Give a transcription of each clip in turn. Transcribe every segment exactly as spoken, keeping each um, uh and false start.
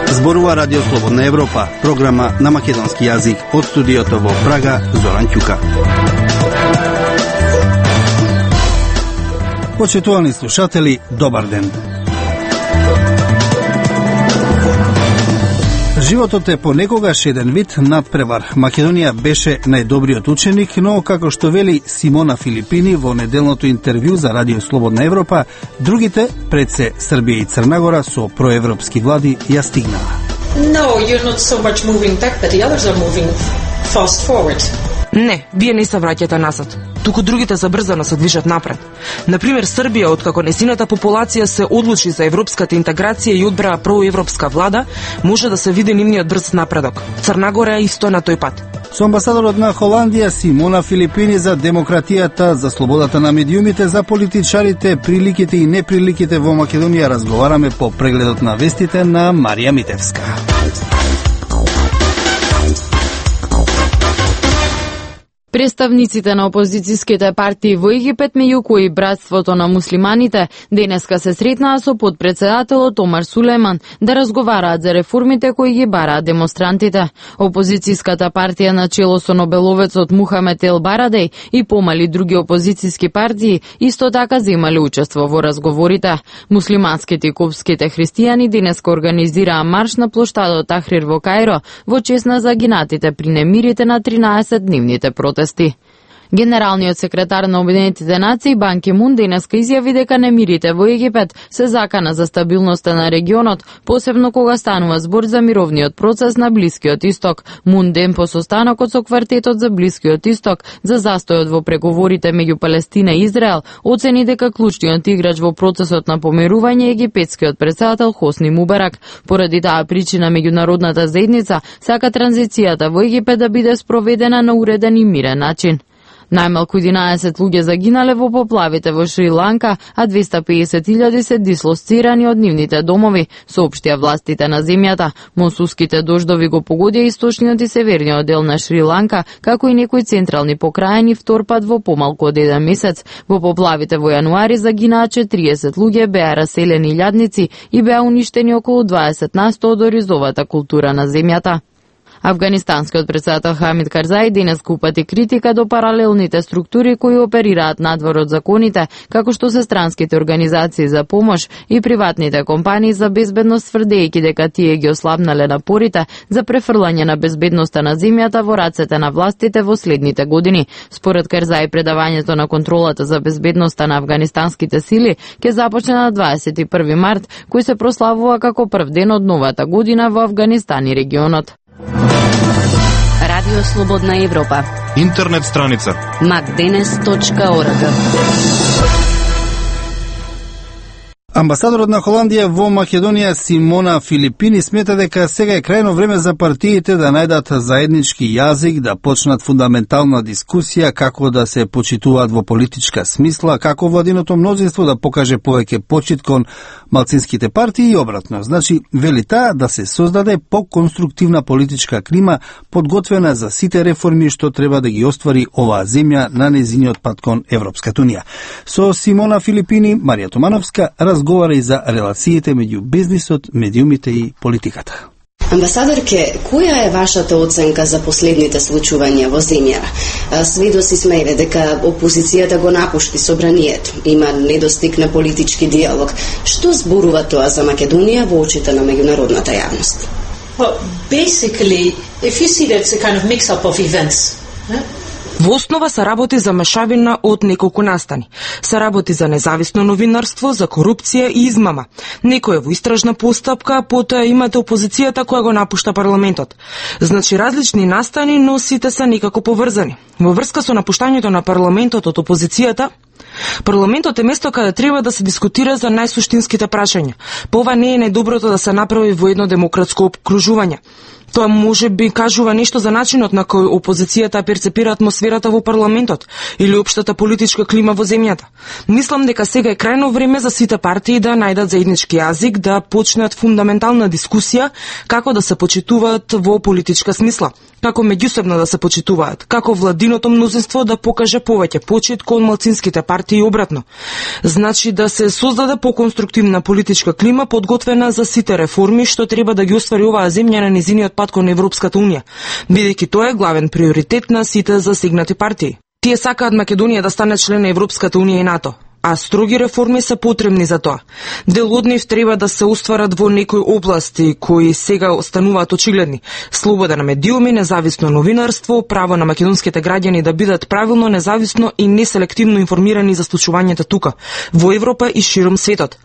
Зборува Радио Слободна Европа, програма на македонски јазик од студиото во Прага, Зоран Ќука. Почитувани слушатели, добар ден. Животот е понекогаш еден вид надпревар. Македонија беше најдобриот ученик, но како што вели Симона Филипини во неделното интервју за Радио Слободна Европа, другите, пред се Србија и Црнагора со проевропски влади, ја стигнаа. No, you're not so much moving back, but the others are moving fast forward. Не, вие не се враќате назад, туку другите забрзано се движат напред. Например, Србија, откако несината популација се одлучи за европската интеграција и одбра проевропска влада, може да се види нивниот брз напредок. Црнагора е исто на тој пат. Со амбасадорот на Холандија Симона Филипини за демократијата, за слободата на медиумите, за политичарите, приликите и неприликите во Македонија разговараме по прегледот на вестите на Марија Митевска. Представниците на опозицијските партии во Египет, меѓу кои Братството на муслиманите, денеска се сретнаа со подпредседателот Омар Сулејман да разговараат за реформите кои ги бараат демонстрантите. Опозицијската партија на чело со нобеловецот Мухамед Ел Барадеј и помали други опозицијски партии исто така земале учество во разговорите. Муслиманските и копските христијани денеска организираа марш на плоштадот Тахрир во Кајро во чест на загинатите при немирите на тринаесетдневните протести. Генералниот секретар на Обединетите нации Бан Ки Мун денеска изјави дека немирите во Египет се закана за стабилноста на регионот, посебно кога станува збор за мировниот процес на Блискиот Исток. Мун ден по состанокот со квартетот за Блискиот Исток за застојот во преговорите меѓу Палестина и Израел, оцени дека клучниот играч во процесот на помирување е египетскиот претседател Хосни Мубарак. Поради таа причина меѓународната заедница сака транзицијата во Египет да биде спроведена на уреден и мирен начин. Најмалку единаесет луѓе загинале во поплавите во Шри-Ланка, а двеста и песет илјади се дислоцирани од нивните домови, соопштија властите на земјата. Монсунските дождови го погодија источниот и северниот дел на Шри-Ланка, како и некои централни покрајни втор пат во помалку од еден месец. Во поплавите во јануари загинаа четириесет луѓе, беа раселени илјадници и беа уништени околу дваесет на сто од оризовата култура на земјата. Афганистанскиот претседател Хамид Карзаи денес упати критика до паралелните структури кои оперираат надвор од законите, како што се странските организации за помош и приватните компании за безбедност, тврдејќи дека тие ги ослабнале напорите за префрлање на безбедноста на земјата во рацете на властите во следните години. Според Карзаи, предавањето на контролата за безбедноста на афганистанските сили ќе започне на дваесет и први март, кој се прославува како прв ден од новата година во Афганистан и регионот. Радио Слободна Европа. Интернет страница мак денес точка орг. Амбасадорот на Холандија во Македонија Симона Филипини смета дека сега е крајно време за партиите да најдат заеднички јазик, да почнат фундаментална дискусија како да се почитуваат во политичка смисла, како владиното мнозинство да покаже повеќе почит кон малцинските партии и обратно. Значи, вели таа да се создаде поконструктивна политичка клима подготвена за сите реформи што треба да ги оствари оваа земја на нејзиниот пат кон Европската унија. Со Симона Филипини, Марија Томановска разговара и за релациите меѓу бизнисот, медиумите и политиката. Амбасадорке, која е вашата оценка за последните случувања во земјава? Сведоци сме дека опозицијата го напушти собранието, има недостиг на политички диалог. Што зборува тоа за Македонија во очите на меѓународната јавност? Well, basically, if you see that it's a kind of mix-up of events, eh? Во основа се работи за мешавина од неколку настани. Се работи за независно новинарство, за корупција и измама. Некој е во истражна постапка, потоа имате опозицијата која го напушта парламентот. Значи различни настани, но сите се некако поврзани. Во врска со напуштањето на парламентот од опозицијата, парламентот е место каде треба да се дискутира за најсуштинските прашања. Па ова не е најдоброто да се направи во едно демократско опкружување. Тоа може би кажува нешто за начинот на кој опозицијата перцепира атмосферата во парламентот или општата политичка клима во земјата. Мислам дека сега е крајно време за сите партии да најдат заеднички јазик, да почнат фундаментална дискусија како да се почитуваат во политичка смисла, како меѓусебно да се почитуваат, како владиното мнозинство да покаже повеќе почит кон малцинските партии и обратно. Значи да се создаде поконструктивна политичка клима подготвена за сите реформи што треба да ги оствари оваа земја на низиниот пат кон Европската унија, бидејќи тоа е главен приоритет на сите засегнати партии. Тие сакаат Македонија да стане член на Европската унија и НАТО, а строги реформи се потребни за тоа. Дел од нив треба да се остварат во некои области кои сега остануваат очигледни: слобода на медиуми, независно новинарство, право на македонските граѓани да бидат правилно, независно и неселективно информирани за случувањата тука, во Европа и широм светот.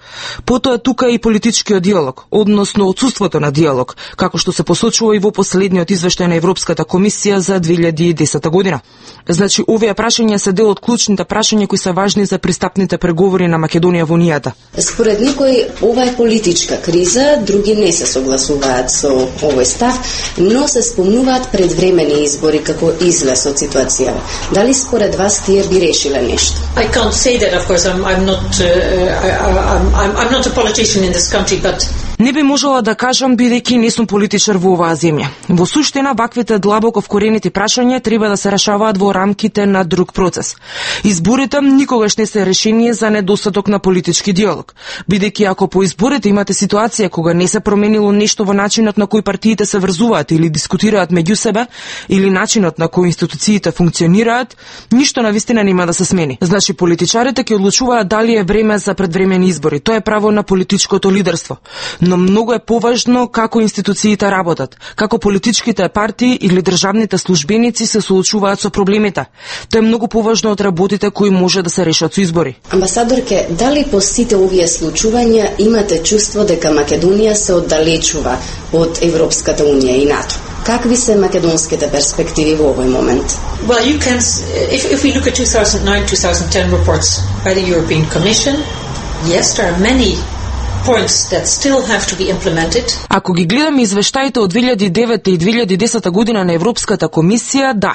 Потоа тука и политичкиот диалог, односно отсуството на диалог, како што се посочува и во последниот извештај на Европската комисија за две илјади и десета година. Значи, овие прашања се дел од клучните прашања кои се важни за пристапните преговори на Македонија во Унијата. Според некои, ова е политичка криза, други не се согласуваат со овој став, но се спомнуваат предвремени избори како излез од ситуацијава. Дали според вас тие би решиле нешто? I can't say that, of course. I'm, I'm not. Uh, I, I'm, I'm not a politician in this country, but. Не би можела да кажам бидејќи не сум политичар во оваа земја. Во суштина, ваквите длабоко вкоренети прашања треба да се решаваат во рамките на друг процес. Изборите никогаш не се решение за недостаток на политички диалог, бидејќи ако по изборите имате ситуација кога не се променило нешто во начинот на кој партиите се врзуваат или дискутираат меѓу себе, или начинот на кој институциите функционираат, ништо навистина нема да се смени. Значи, политичарите ќе одлучуваат дали е време за предвремени избори. Тоа е право на политичкото лидерство. Но многу е поважно како институциите работат, како политичките партии или државните службеници се соочуваат со проблемите. Тоа е многу поважно од работите кои може да се решат со избори. Амбасадорке, дали по сите овие случувања имате чувство дека Македонија се оддалечува од Европската унија и НАТО? Какви се македонските перспективи во овој момент? Well, you can. If, if we look at two thousand nine two thousand ten reports by the European Commission, yes, there are many points that still have to be implemented. Ако ги гледаме извештаите од две илјади и девета и две илјади и десета година на Европската комисија, да,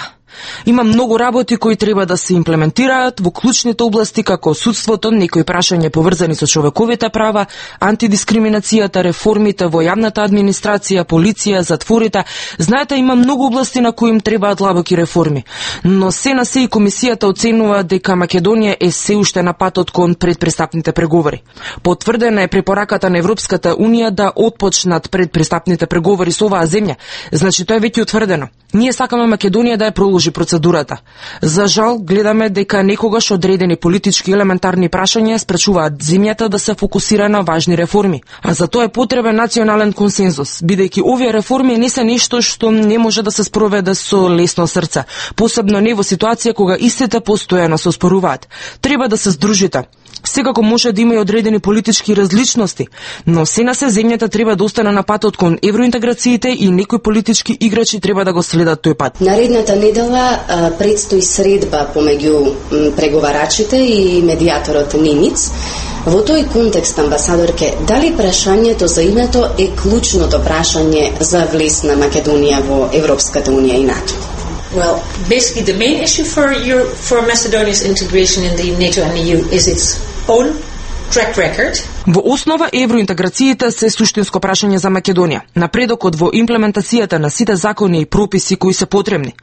има многу работи кои треба да се имплементираат во клучните области како судството, некои прашања поврзани со човековите права, антидискриминацијата, реформите во јавната администрација, полиција, затворите. Знаете, има многу области на кои им требаат длабоки реформи. Но се на се и комисијата оценува дека Македонија е се уште на патот кон предпристапните преговори. Потврдена е препораката на Европската унија да отпочнат предпристапните преговори со оваа земја. Значи, тоа е веќе утврдено. Ние сакаме Македонија да ја продолжи процедурата. За жал, гледаме дека некогаш одредени политички елементарни прашања спречуваат земјата да се фокусира на важни реформи. А за тоа е потребен национален консензус, бидејќи овие реформи не се нешто што не може да се спроведе со лесно срце, посебно не во ситуација кога истите постојано се оспоруваат. Треба да се здружите. Секако може да има и одредени политички различности, но се на се земјата треба да остане на патот кон евроинтеграциите и некои политички играчи треба да го следат тој пат. Наредната недела а, предстои средба помеѓу преговарачите и медијаторот Нимиц. Во тој контекст, амбасадорке, дали прашањето за името е клучното прашање за влез на Македонија во Европската унија и НАТО? Well, basically the main issue for Euro, for Macedonia's integration in the NATO and E U is its own track record. Во основа, евроинтеграциите се суштинско прашање за Македонија, напредокот во имплементацијата на сите закони и прописи кои се потребни.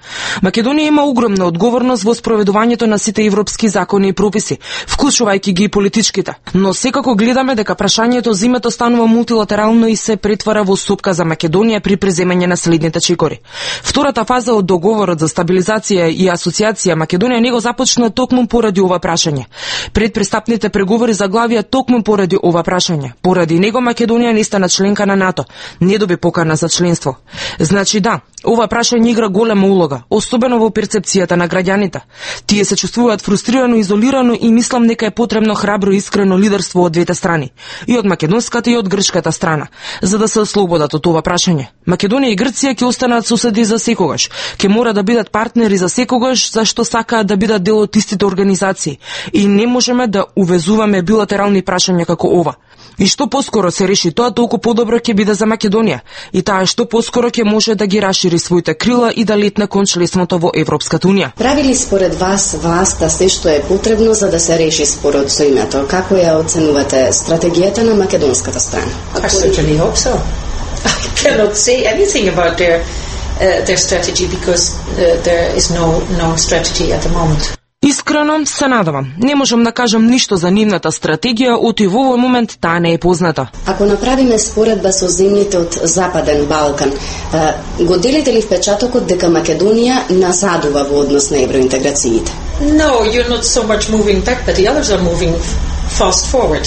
Македонија има огромна одговорност во спроведувањето на сите европски закони и прописи, вклучувајќи ги и политичките. Но секако гледаме дека прашањето за името станува мултилатерално и се претвара во сопка за Македонија при преземање на следните чекори. Втората фаза од договорот за стабилизација и асоциација Македонија не го започна токму поради ова прашање. Предпристапните преговори заглавија токму поради ова прашање. Поради него Македонија не стана членка на НАТО, не доби покана за членство. Значи да, ова прашање игра голема улога, особено во перцепцијата на граѓаните. Тие се чувствуваат фрустрирано, изолирано и мислам дека е потребно храбро и искрено лидерство од двете страни, и од македонската и од грчката страна, за да се ослободат од ова прашање. Македонија и Грција ќе останат соседи за секогаш, ќе мора да бидат партнери за секогаш, зашто сакаат да бидат дел од истите организации и не можеме да увезуваме билатерални прашања како ова. И што поскоро се реши тоа, толку подобро ќе биде за Македонија. И таа е што поскоро ќе може да ги расшири своите крила и да летне кон членството во Европската унија. Прави ли според вас власта се што е потребно за да се реши спорот со името? Како ја оценувате стратегијата на македонската страна? I certainly hope so. I cannot say anything about their uh, their strategy because uh, there is no no strategy at the moment. Искрено се надевам. Не можам да кажам ништо за нивната стратегија, оти во овој момент таа не е позната. Ако направиме споредба со земјите од Западен Балкан, го делите ли впечатокот дека Македонија назадува во однос на евроинтеграциите? No, you're not so much moving back, but the others are moving fast forward.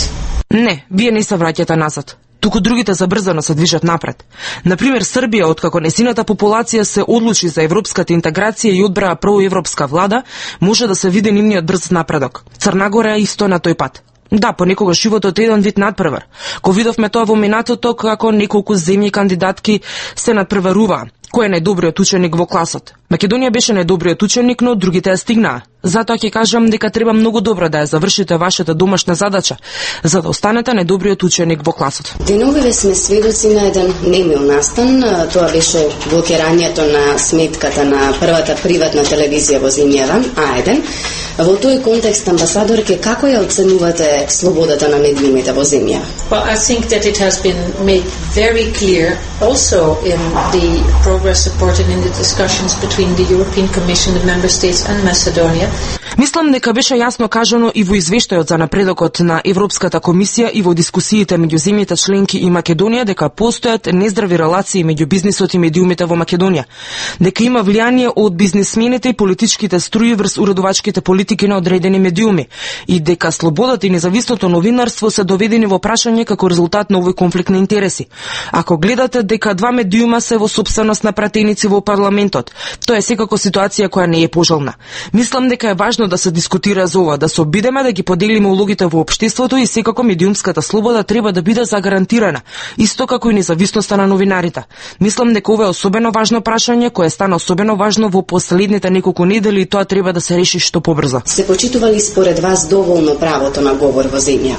Не, вие не се враќате назад. Туку другите забрзано се движат напред. Например, Србија, откако несината популација се одлучи за европската интеграција и одбраа проевропска влада, може да се види нивниот брз напредок. Црна Гора е исто на тој пат. Да, понекогаш животот е еден вид надпревар. Ко видовме тоа во минатото, како неколку земји кандидатки се надпреваруваа. Кој е најдобриот ученик во класот? Македонија беше најдобриот ученик, но другите ја стигнаа. Затоа ќе кажам дека треба многу добро да ја завршите вашата домашна задача, за да останете најдобриот ученик во класот. Деновиве сме сведоци на еден немил настан. Тоа беше блокирањето на сметката на првата приватна телевизија во земјава, А еден. Во тој контекст, амбасадорке, како ја оценувате слободата на медиумите во земја? Well, I think that it has been made very clear also in the progress reported in the discussions between the European Commission, the member states and Macedonia. Мислам дека беше јасно кажано и во извештајот за напредокот на Европската комисија и во дискусиите меѓу земјите членки и Македонија дека постојат нездрави релации меѓу бизнисот и медиумите во Македонија, дека има влијание од бизнисмените и политичките струи врз уредувачките политики на одредени медиуми и дека слободата и независното новинарство се доведени во прашање како резултат на овој конфликт на интереси. Ако гледате дека два медиума се во сопственост на пратеници во парламентот, тоа е секако ситуација која не е пожелна. Мислам дека е важно да се дискутира за ова, да се обидеме да ги поделиме улогите во општеството и секако медиумската слобода треба да биде загарантирана, исто како и независноста на новинарите. Мислам дека ова е особено важно прашање кое стана особено важно во последните неколку недели и тоа треба да се реши што побрзо. Се почитува ли според вас доволно правото на говор во земја?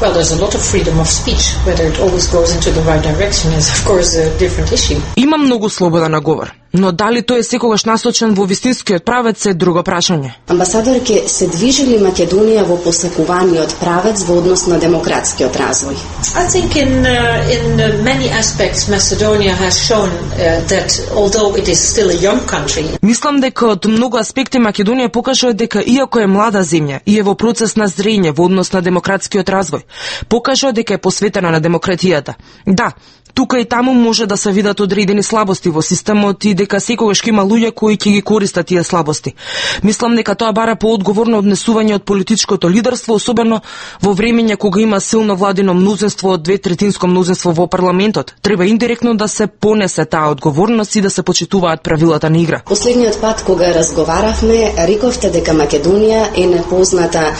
Well, there's a lot of freedom of speech. Whether it always goes into the right direction is, of course, a different issue. Има многу слобода на говор, но дали тој е секогаш насочен во вистинскиот правец е друго прашање. Амбасадорке, се движи ли Македонија во посакуваниот правец во однос на демократскиот развој? I think in uh, in uh, many aspects Macedonia has shown uh, that although it is still a young country. Мислам дека од многу аспекти Македонија покажа дека иако е млада земја и е во процес на зрење во однос на демократскиот развој, покажа дека е посветена на демократијата. Да, тука и таму може да се видат одредени слабости во системот и дека секогаш ќе има луѓе кои ќе ги користат тие слабости. Мислам дека тоа бара поодговорно однесување од политичкото лидерство, особено во времења кога има силно владино мнозинство од две третинско мнозинство во парламентот. Треба индиректно да се понесе таа одговорност и да се почитуваат правилата на игра. Последниот пат кога разговаравме, рековте дека Македонија е непозната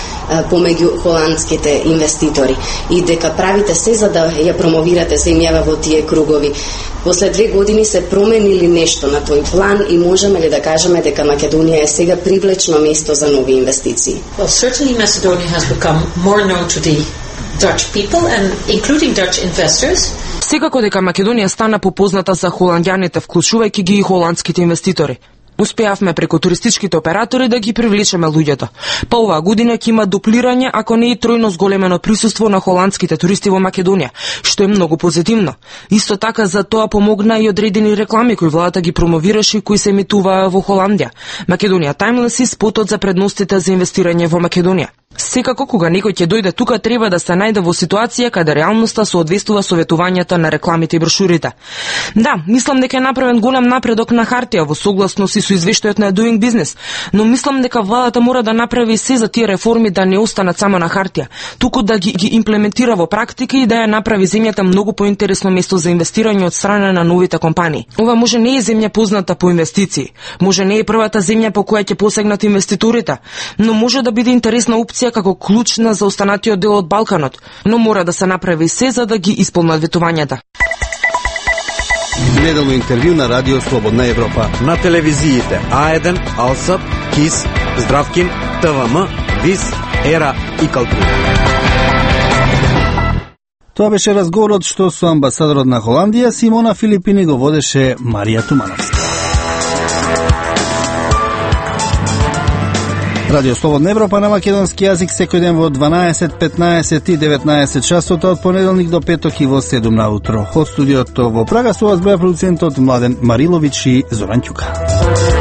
помеѓу холандските инвеститори и дека правите се за да ја промовирате земјава во тие кругови. После две години се променили нешто на тој план и можеме ли да кажеме дека Македонија е сега привлечно место за нови инвестиции? Well, certainly Macedonia has become more known to the Dutch people and including Dutch investors. Секако дека Македонија стана попозната за холандјаните, вклучувајќи ги и холандските инвеститори. Успеавме преку туристичките оператори да ги привлечеме луѓето. Па оваа година ќе има дуплирање, ако не и тројно зголемено присуство на холандските туристи во Македонија, што е многу позитивно. Исто така за тоа помогна и одредени реклами кои владата ги промовираше и кои се емитуваа во Холандија. Македонија Таймлес и спотот за предностите за инвестирање во Македонија. Секако кога некој ќе дојде тука треба да се најде во ситуација каде реалноста соодветствува советувањата на рекламите и брошурите. Да, мислам дека е направен голем напредок на хартија во согласност и со извештајот на Doing Business, но мислам дека владата мора да направи се за тие реформи да не останат само на хартија, туку да ги, ги имплементира во практика и да ја направи земјата многу поинтересно место за инвестирање од страна на новите компании. Ова може не е земја позната по инвестиции, може не е првата земја по која ќе посегнат инвеститорите, но може да биде интересна опција како клучна за останатиот дел од Балканот, но мора да се направи се за да ги исполнат ветувањата. Неделно интервју на Радио Слободна Европа. На телевизиите А еден, Алсап, КИС, Здравкин, ТВМ, ВИС, Ера и Калтри. Тоа беше разговорот што со амбасадорот на Холандија Симона Филипини го водеше Марија Тумановска. Радио Слободна Европа на македонски јазик секој ден во дванаесет, петнаесет и деветнаесет часот од понеделник до петок и во седум на утро. Од студиото во Прага со вас беа продуцентот Младен Марилович и Зоран Ќука.